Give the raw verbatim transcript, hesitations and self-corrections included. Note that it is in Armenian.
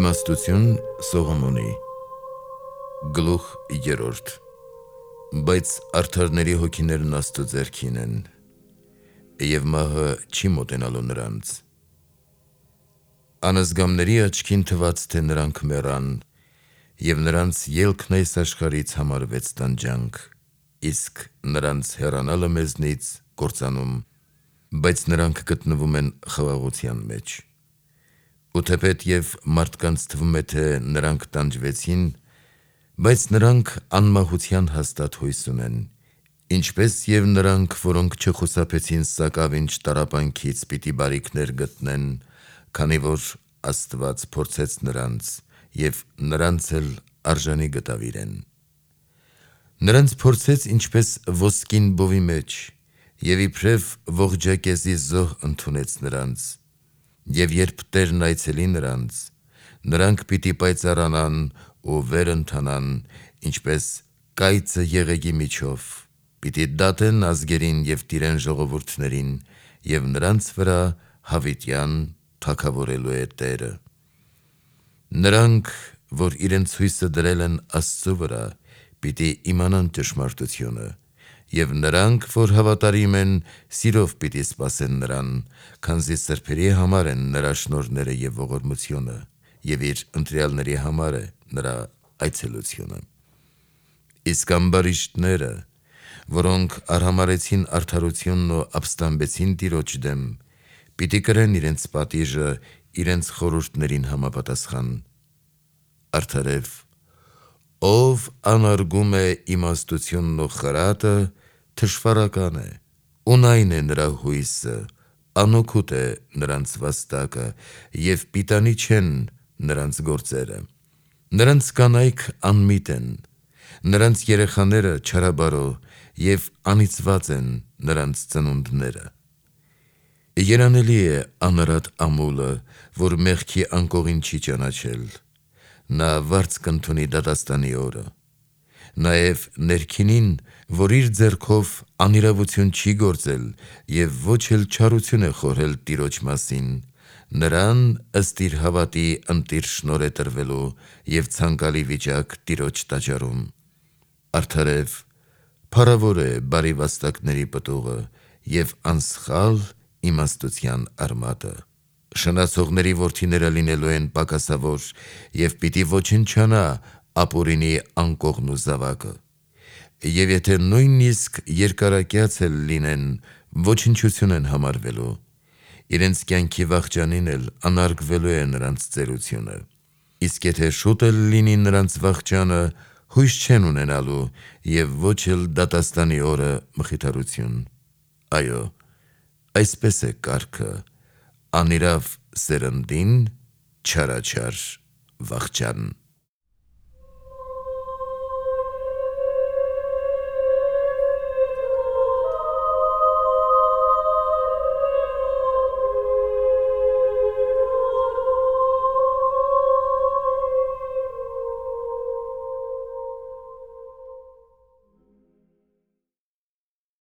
Իմաստություն Սողոմոնի Գլուխ երրորդ Բայց արդարների հոգիներն Աստծո ձեռքին են, և մահը չի մոտենալու նրանց։ Անազգամների աչքին թվաց, թե նրանք մեռան, և նրանց ելքն այս աշխարհից համարվեց տանջանք, իսկ նրանց հեռանալը մեզնից կործանում, բայց նրանք գտնվում են խաղաղության մեջ։ Ու թեպետ և մարդկանց թվում է, թե նրանք տանջվեցին, բայց նրանք անմահության հաստատ հույս ունեն, ինչպես և նրանք, որոնք չխուսափեցին սակավինչ տառապանքից, պիտի բարիքներ գտնեն, քանի որ Աստված փորձեց նրանց, և նրանց էլ արժանի գտավ իրեն։ Նրանց փորձեց ինչպես ոսկին բովի մեջ, և իբրև ողջակեզի զոհ ընդունեց նրանց, և երբ Տերն այցելի նրանց, նրանք պիտի պայծառանան ու վեր ընթանան, ինչպես կայծը եղեգի միջով, պիտի դատեն ազգերին և տիրեն ժողովուրդներին, և նրանց վրա հավիտյան թագավորելու է Տերը։ Նրանք, որ իրենց հույսը դրել են Աստծո վրա, պիտի իմանան ճշմարտությունը, և նրանք, որ հավատարիմ են, սիրով պիտի սպասեն նրան, քանզի սրբերի համար են նրա շնորհները և ողորմությունը, և իր ընտրյալների համար է նրա այցելությունը։ Իսկ ամբարիշտները, որոնք արհամարհեցին արդարությունն ու ապստամբեցին Տիրոջ դեմ, պիտի կրեն իրենց պատիժը իրենց խորհուրդներին համապատասխան։ Արդարև, ով անարգում է իմաստությունն ու խրատը, թշվառական է, ունայն է նրա հույսը, անօգուտ է նրանց վաստակը, և պիտանի չեն նրանց գործերը։ Նրանց կանայք անմիտ են, նրանց երեխաները չարաբարո, և անիծված են նրանց ծնունդները։ Երանելի է անարատ ամուլը, որ մեղքի անկողին չի ճանաչել, նա վարձ կընդունի դատաստանի օրը։ Նաև ներքինին, որ իր ձեռքով անիրավություն չի գործել և ոչ էլ չարություն է խորհել Տիրոջ մասին, նրան ըստ իր հավատի ընտիր շնորհ է տրվելու և ցանկալի վիճակ Տիրոջ տաճարում։ Արդարև, փառավոր է բարի վաստակների պտուղը և անսխալ իմաստության արմատը։ Շնացողների որդիները լինելու են պակասավոր, և պիտի ոչնչանա ապօրինի անկողն ու զավակը։ Եվ եթե նույնիսկ երկարակյաց էլ լինեն, ոչնչություն են համարվելու, իրենց կյանքի վախճանին էլ անարգվելու է նրանց ծերությունը։ Իսկ եթե շուտ էլ լինի նրանց վախճանը, հույս չեն ունենալու և ոչ էլ դատաստանի օրը մխիթարություն։ Այո, այսպես է կարգը. անիրավ սերնդին չարաչար վախճան։